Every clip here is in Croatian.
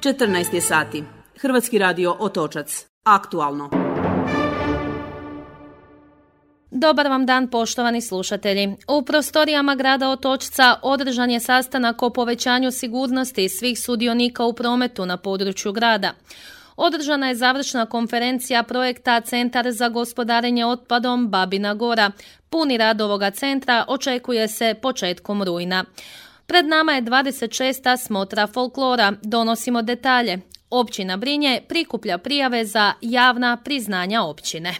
14 je sati. Hrvatski radio Otočac. Aktualno. Dobar vam dan, poštovani slušatelji. U prostorijama grada Otočca održan je sastanak o povećanju sigurnosti svih sudionika u prometu na području grada. Održana je završna konferencija projekta Centar za gospodarenje otpadom Babina Gora. Puni rad ovoga centra očekuje se početkom rujna. Pred nama je 26. smotra folklora. Donosimo detalje. Općina Brinje prikuplja prijave za javna priznanja općine.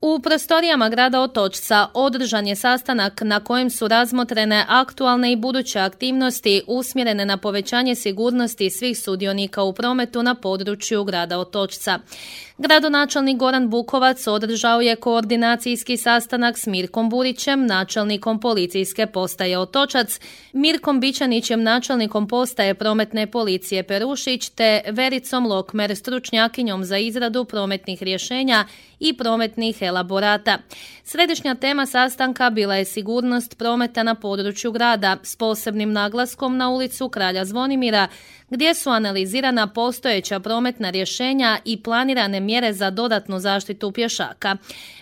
U prostorijama grada Otočca održan je sastanak na kojem su razmotrene aktualne i buduće aktivnosti usmjerene na povećanje sigurnosti svih sudionika u prometu na području grada Otočca. Gradonačelnik Goran Bukovac održao je koordinacijski sastanak s Mirkom Burićem, načelnikom policijske postaje Otočac, Mirkom Bićanićem, načelnikom postaje prometne policije Perušić, te Vericom Lokmer, stručnjakinjom za izradu prometnih rješenja i prometnih elaborata. Središnja tema sastanka bila je sigurnost prometa na području grada s posebnim naglaskom na ulicu Kralja Zvonimira, gdje su analizirana postojeća prometna rješenja i planirane mjere za dodatnu zaštitu pješaka.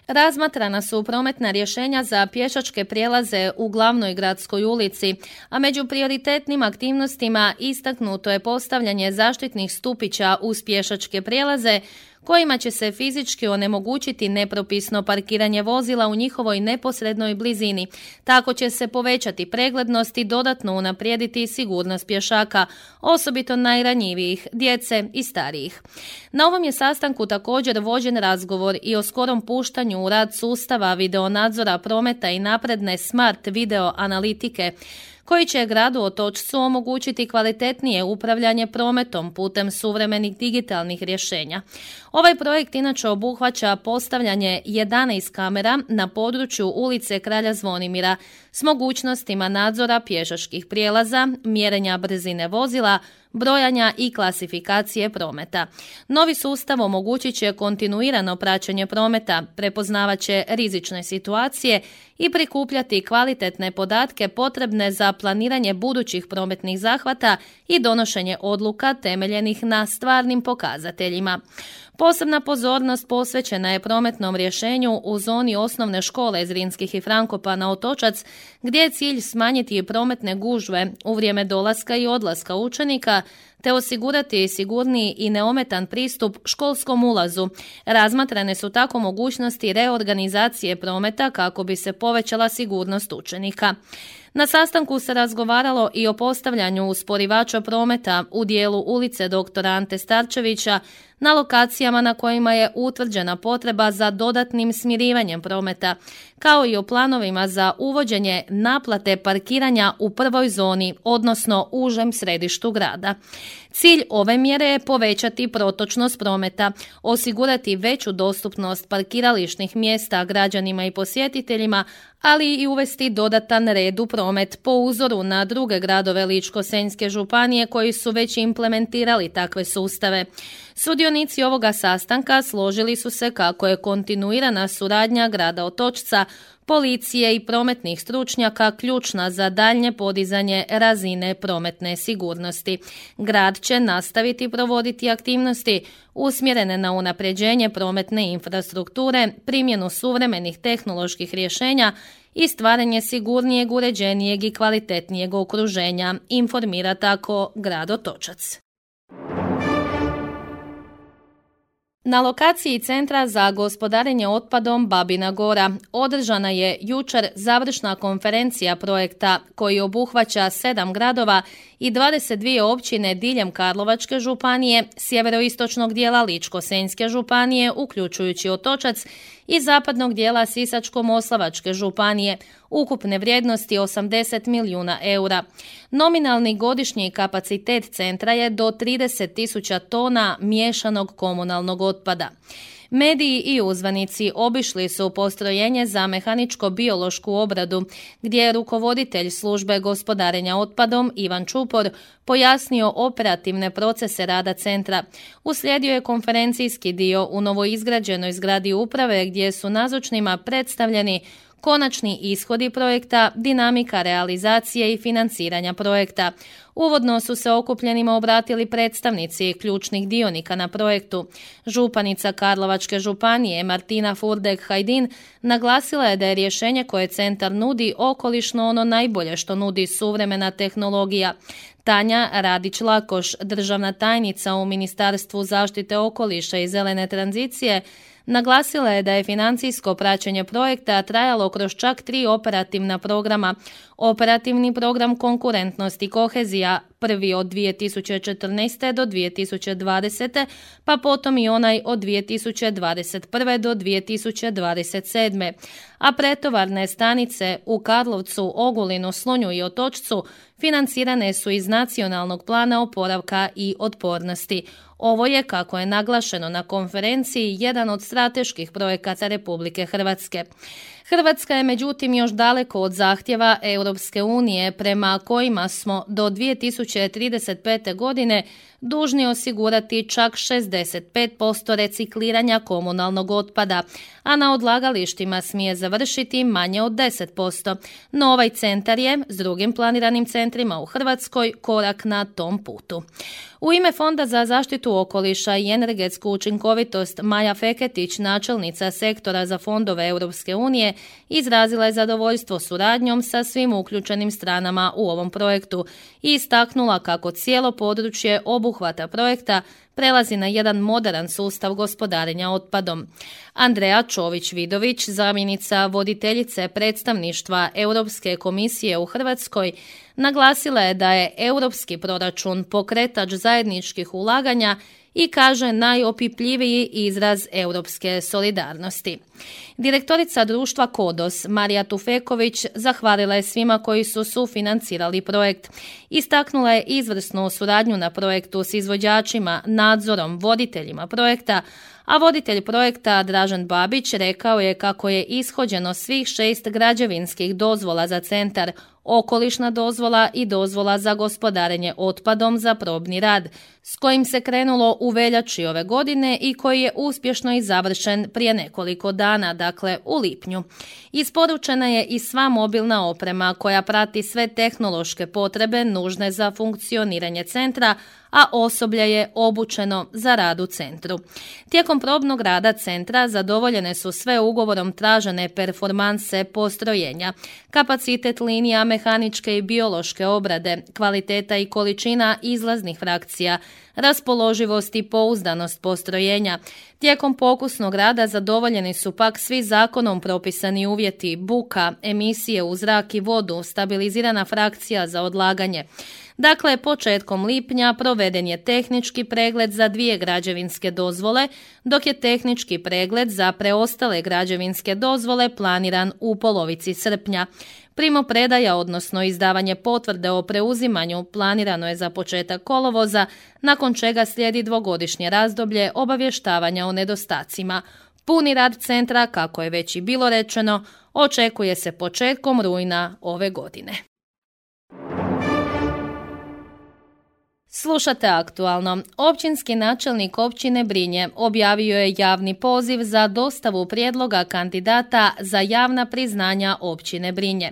Razmatrana su prometna rješenja za pješačke prijelaze u glavnoj gradskoj ulici, a među prioritetnim aktivnostima istaknuto je postavljanje zaštitnih stupića uz pješačke prijelaze, kojima će se fizički onemogućiti nepropisno parkiranje vozila u njihovoj neposrednoj blizini. Tako će se povećati preglednost i dodatno unaprijediti sigurnost pješaka, osobito najranjivijih, djece i starijih. Na ovom je sastanku također vođen razgovor i o skorom puštanju u rad sustava videonadzora prometa i napredne smart video analitike, koji će gradu Otočcu omogućiti kvalitetnije upravljanje prometom putem suvremenih digitalnih rješenja. Ovaj projekt inače obuhvaća postavljanje 11 kamera na području ulice Kralja Zvonimira s mogućnostima nadzora pješačkih prijelaza, mjerenja brzine vozila, brojanja i klasifikacije prometa. Novi sustav omogućit će kontinuirano praćenje prometa, prepoznavat će rizične situacije i prikupljati kvalitetne podatke potrebne za planiranje budućih prometnih zahvata i donošenje odluka temeljenih na stvarnim pokazateljima. Posebna pozornost posvećena je prometnom rješenju u zoni osnovne škole Zrinskih i Frankopana Otočac, gdje je cilj smanjiti prometne gužve u vrijeme dolaska i odlaska učenika, te osigurati sigurniji i neometan pristup školskom ulazu. Razmatrane su tako mogućnosti reorganizacije prometa kako bi se povećala sigurnost učenika. Na sastanku se razgovaralo i o postavljanju usporivača prometa u dijelu ulice dr. Ante Starčevića na lokacijama na kojima je utvrđena potreba za dodatnim smirivanjem prometa, kao i o planovima za uvođenje naplate parkiranja u prvoj zoni, odnosno užem središtu grada. Cilj ove mjere je povećati protočnost prometa, osigurati veću dostupnost parkirališnih mjesta građanima i posjetiteljima, ali i uvesti dodatan red u promet po uzoru na druge gradove Ličko-senjske županije koji su već implementirali takve sustave. Sudionici ovoga sastanka složili su se kako je kontinuirana suradnja grada Otočca, policije i prometnih stručnjaka ključna za daljnje podizanje razine prometne sigurnosti. Grad će nastaviti provoditi aktivnosti usmjerene na unapređenje prometne infrastrukture, primjenu suvremenih tehnoloških rješenja i stvaranje sigurnijeg, uređenijeg i kvalitetnijeg okruženja, informira tako grad Otočac. Na lokaciji Centra za gospodarenje otpadom Babina Gora održana je jučer završna konferencija projekta koji obuhvaća 7 gradova i 22 općine diljem Karlovačke županije, sjeveroistočnog dijela Ličko-senjske županije, uključujući Otočac, i zapadnog dijela Sisačko-moslavačke županije, ukupne vrijednosti 80 milijuna eura. Nominalni godišnji kapacitet centra je do 30.000 tona miješanog komunalnog otpada. Mediji i uzvanici obišli su postrojenje za mehaničko-biološku obradu, gdje je rukovoditelj službe gospodarenja otpadom Ivan Čupor pojasnio operativne procese rada centra. Uslijedio je konferencijski dio u novoizgrađenoj zgradi uprave gdje su nazočnima predstavljeni konačni ishodi projekta, dinamika realizacije i financiranja projekta. Uvodno su se okupljenima obratili predstavnici ključnih dionika na projektu. Županica Karlovačke županije Martina Furdek-Hajdin naglasila je da je rješenje koje centar nudi okolišno ono najbolje što nudi suvremena tehnologija. Tanja Radić-Lakoš, državna tajnica u Ministarstvu zaštite okoliša i zelene tranzicije, naglasila je da je financijsko praćenje projekta trajalo kroz čak 3 operativna programa. Operativni program Konkurentnost i kohezija, prvi od 2014. do 2020. pa potom i onaj od 2021. do 2027. A pretovarne stanice u Karlovcu, Ogulinu, Slunju i Otočcu financirane su iz Nacionalnog plana oporavka i otpornosti. Ovo je, kako je naglašeno na konferenciji, jedan od strateških projekata Republike Hrvatske. Hrvatska je međutim još daleko od zahtjeva Europske unije prema kojima smo do 2035. godine dužni osigurati čak 65% recikliranja komunalnog otpada, a na odlagalištima smije završiti manje od 10%. No ovaj centar je, s drugim planiranim centrima u Hrvatskoj, korak na tom putu. U ime Fonda za zaštitu okoliša i energetsku učinkovitost Maja Feketić, načelnica sektora za fondove Europske unije, izrazila je zadovoljstvo suradnjom sa svim uključenim stranama u ovom projektu i istaknula kako cijelo područje obuhvata projekta prelazi na jedan moderan sustav gospodarenja otpadom. Andreja Čović-Vidović, zamjenica voditeljice predstavništva Europske komisije u Hrvatskoj, naglasila je da je europski proračun pokretač zajedničkih ulaganja i kaže najopipljiviji izraz europske solidarnosti. Direktorica društva KODOS Marija Tufeković zahvalila je svima koji su sufinancirali projekt. Istaknula je izvrsnu suradnju na projektu s izvođačima, nadzorom, voditeljima projekta, a voditelj projekta Dražen Babić rekao je kako je ishođeno svih 6 građevinskih dozvola za centar, okolišna dozvola i dozvola za gospodarenje otpadom za probni rad, s kojim se krenulo u veljači ove godine i koji je uspješno i završen prije nekoliko dana, dakle u lipnju. Isporučena je i sva mobilna oprema koja prati sve tehnološke potrebe nužne za funkcioniranje centra, a osoblje je obučeno za rad u centru. Tijekom probnog rada centra zadovoljene su sve ugovorom tražene performanse postrojenja, kapacitet linija mehaničke i biološke obrade, kvaliteta i količina izlaznih frakcija, raspoloživost i pouzdanost postrojenja. Tijekom pokusnog rada zadovoljeni su pak svi zakonom propisani uvjeti, buka, emisije u zrak i vodu, stabilizirana frakcija za odlaganje. Dakle, početkom lipnja proveden je tehnički pregled za 2 građevinske dozvole, dok je tehnički pregled za preostale građevinske dozvole planiran u polovici srpnja. Primopredaja, odnosno izdavanje potvrde o preuzimanju, planirano je za početak kolovoza, nakon čega slijedi 2-godišnje razdoblje obavještavanja o nedostacima. Puni rad centra, kako je već i bilo rečeno, očekuje se početkom rujna ove godine. Slušate aktualno. Općinski načelnik općine Brinje objavio je javni poziv za dostavu prijedloga kandidata za javna priznanja općine Brinje.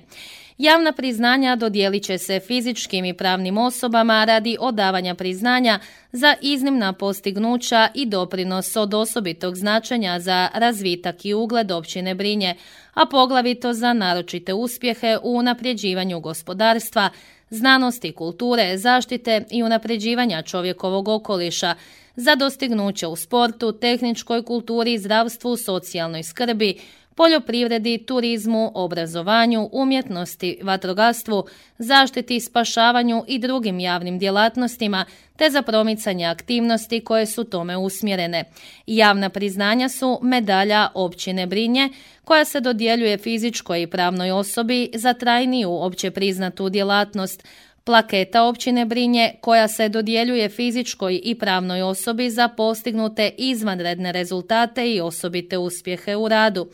Javna priznanja dodijelit će se fizičkim i pravnim osobama radi odavanja priznanja za iznimna postignuća i doprinos od osobitog značenja za razvitak i ugled općine Brinje, a poglavito za naročite uspjehe u unapređivanju gospodarstva, znanosti, kulture, zaštite i unapređivanja čovjekovog okoliša, za dostignuće u sportu, tehničkoj kulturi, zdravstvu, socijalnoj skrbi, poljoprivredi, turizmu, obrazovanju, umjetnosti, vatrogastvu, zaštiti, spašavanju i drugim javnim djelatnostima, te za promicanje aktivnosti koje su tome usmjerene. Javna priznanja su medalja općine Brinje, koja se dodjeljuje fizičkoj i pravnoj osobi za trajniju opće priznatu djelatnost, plaketa općine Brinje, koja se dodjeljuje fizičkoj i pravnoj osobi za postignute izvanredne rezultate i osobite uspjehe u radu,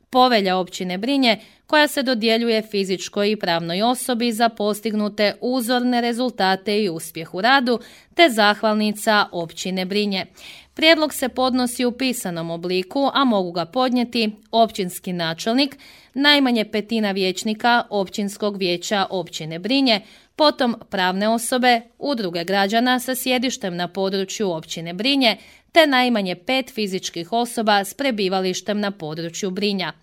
povelja općine Brinje, koja se dodjeljuje fizičkoj i pravnoj osobi za postignute uzorne rezultate i uspjeh u radu, te zahvalnica općine Brinje. Prijedlog se podnosi u pisanom obliku, a mogu ga podnijeti općinski načelnik, najmanje 1/5 vijećnika Općinskog vijeća općine Brinje, potom pravne osobe, udruge građana sa sjedištem na području općine Brinje, te najmanje 5 fizičkih osoba s prebivalištem na području Brinja.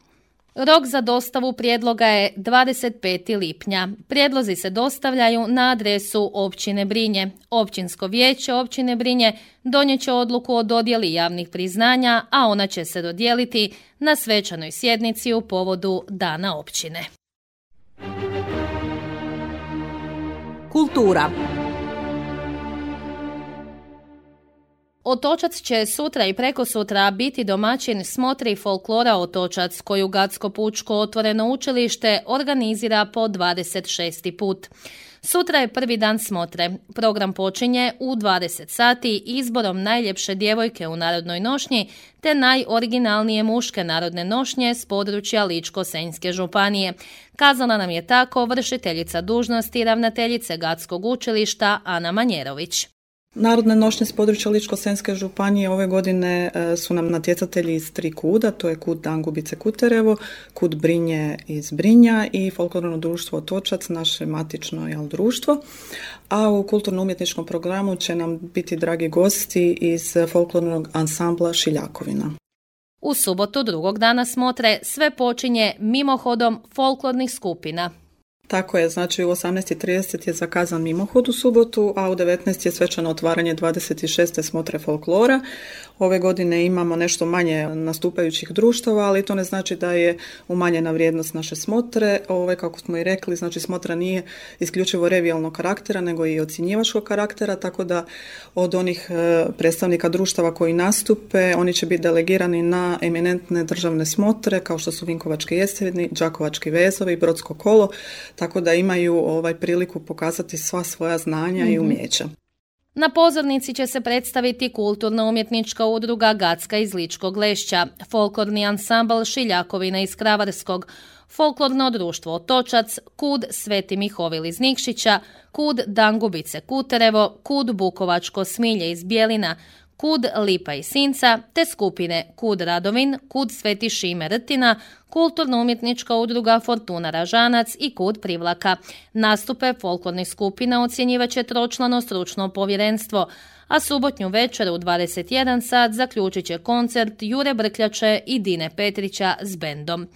Rok za dostavu prijedloga je 25. lipnja. Prijedlozi se dostavljaju na adresu općine Brinje. Općinsko vijeće općine Brinje donijet će odluku o dodjeli javnih priznanja, a ona će se dodijeliti na svečanoj sjednici u povodu Dana općine. Kultura. Otočac će sutra i prekosutra biti domaćin smotri folklora Otočac, koju Gatsko pučko otvoreno učilište organizira po 26. put. Sutra je prvi dan smotre. Program počinje u 20 sati izborom najljepše djevojke u narodnoj nošnji te najoriginalnije muške narodne nošnje s područja Ličko-senjske županije. Kazala nam je tako vršiteljica dužnosti ravnateljice Gatskog učilišta Ana Manjerović. Narodne nošnje s područja Ličko-senjske županije ove godine su nam natjecatelji iz 3 kuda, to je kud Dangubice Kuterevo, kud Brinje iz Brinja i folklorno društvo Otočac, naše matično društvo. A u kulturno-umjetničkom programu će nam biti dragi gosti iz folklornog ansambla Šiljakovina. U subotu drugog dana smotre sve počinje mimohodom folklornih skupina. Tako je, znači u 18:30 je zakazan mimohod u subotu, a u 19 je svečano otvaranje 26. smotre folklora. Ove godine imamo nešto manje nastupajućih društava, ali to ne znači da je umanjena vrijednost naše smotre. Kako smo i rekli, znači smotra nije isključivo revijalnog karaktera, nego i ocjenjivačkog karaktera, tako da od onih predstavnika društava koji nastupe, oni će biti delegirani na eminentne državne smotre, kao što su Vinkovački jeseni, Đakovački vezovi, Brodsko kolo, tako da imaju priliku pokazati sva svoja znanja i umjeća. Na pozornici će se predstaviti kulturno-umjetnička udruga Gatska iz Ličkog Lešća, folklorni ansambl Šiljakovina iz Kravarskog, folklorno društvo Otočac, kud Sveti Mihovil iz Nikšića, kud Dangubice Kuterevo, kud Bukovačko Smilje iz Bjelina, kud Lipa i Sinca, te skupine kud Radovin, kud Sveti Šime Rtina, kulturno-umjetnička udruga Fortuna Ražanac i kud Privlaka. Nastupe folklornih skupina ocjenjivaće tročlano stručno povjerenstvo, a subotnju večer u 21 sat zaključit će koncert Jure Brkljače i Dine Petrića s bendom.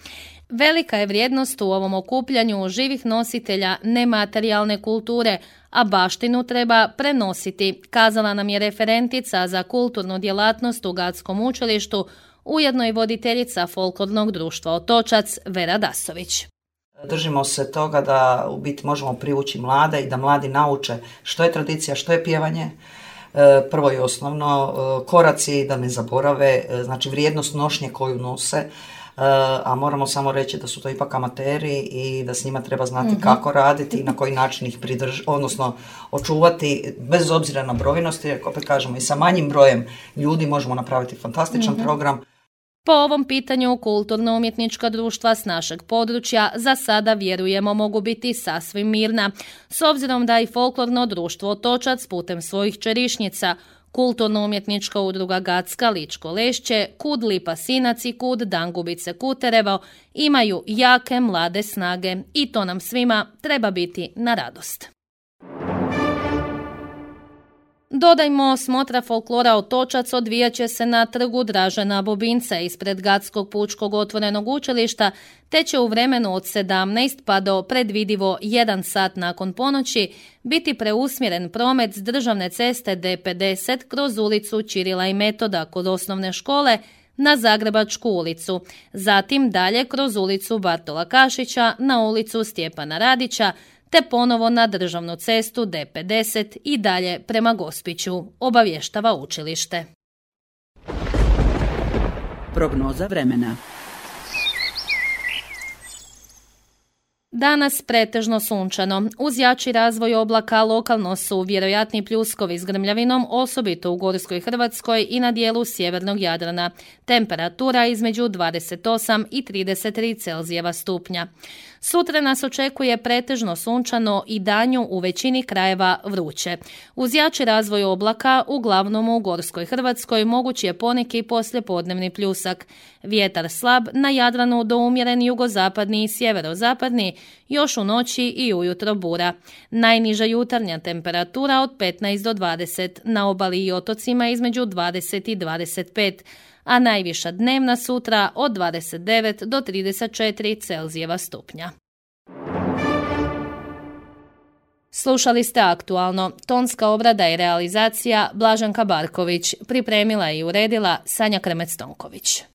Velika je vrijednost u ovom okupljanju živih nositelja nematerijalne kulture, a baštinu treba prenositi, kazala nam je referentica za kulturnu djelatnost u Gatskom učilištu, ujedno i voditeljica folklornog društva Otočac Vera Dasović. Držimo se toga da u biti možemo privući mlade i da mladi nauče što je tradicija, što je pjevanje. Prvo i osnovno, koraci da ne zaborave, znači vrijednost nošnje koju nose, a moramo samo reći da su to ipak amateri i da s njima treba znati kako raditi i na koji način ih odnosno očuvati bez obzira na brojnosti, jer opet kažemo i sa manjim brojem ljudi možemo napraviti fantastičan program. Po ovom pitanju kulturno-umjetnička društva s našeg područja za sada vjerujemo mogu biti sasvim mirna, s obzirom da i folklorno društvo Otočac putem svojih čerišnica, kulturno-umjetnička udruga Gatska Ličko Lešće, kud Lipa Sinac i kud Dangubice Kuterevo imaju jake mlade snage i to nam svima treba biti na radost. Dodajmo, smotra folklora Otočac odvijat će se na trgu Dražena Bobinca ispred Gatskog pučkog otvorenog učilišta, te će u vremenu od 17 pa do predvidivo 1 sat nakon ponoći biti preusmjeren promet s državne ceste D50 kroz ulicu Ćirila i Metoda kod osnovne škole na Zagrebačku ulicu, zatim dalje kroz ulicu Bartola Kašića na ulicu Stjepana Radića, te ponovo na državnu cestu D50 i dalje prema Gospiću, obavještava učilište. Prognoza vremena. Danas pretežno sunčano. Uz jači razvoj oblaka lokalno su vjerojatni pljuskovi s grmljavinom, osobito u Gorskoj Hrvatskoj i na dijelu sjevernog Jadrana. Temperatura između 28 i 33 Celzijeva stupnja. Sutra nas očekuje pretežno sunčano i danju u većini krajeva vruće. Uz jači razvoj oblaka, uglavnom u gorskoj Hrvatskoj, moguć je poneki poslijepodnevni pljusak. Vjetar slab, na Jadranu do umjeren jugozapadni i sjeverozapadni, još u noći i ujutro bura. Najniža jutarnja temperatura od 15 do 20, na obali i otocima između 20 i 25, a najviša dnevna sutra od 29 do 34 Celzijeva stupnja. Slušali ste Aktualno. Tonska obrada i realizacija Blaženka Barković. Pripremila i uredila Sanja Kremec-Tonković.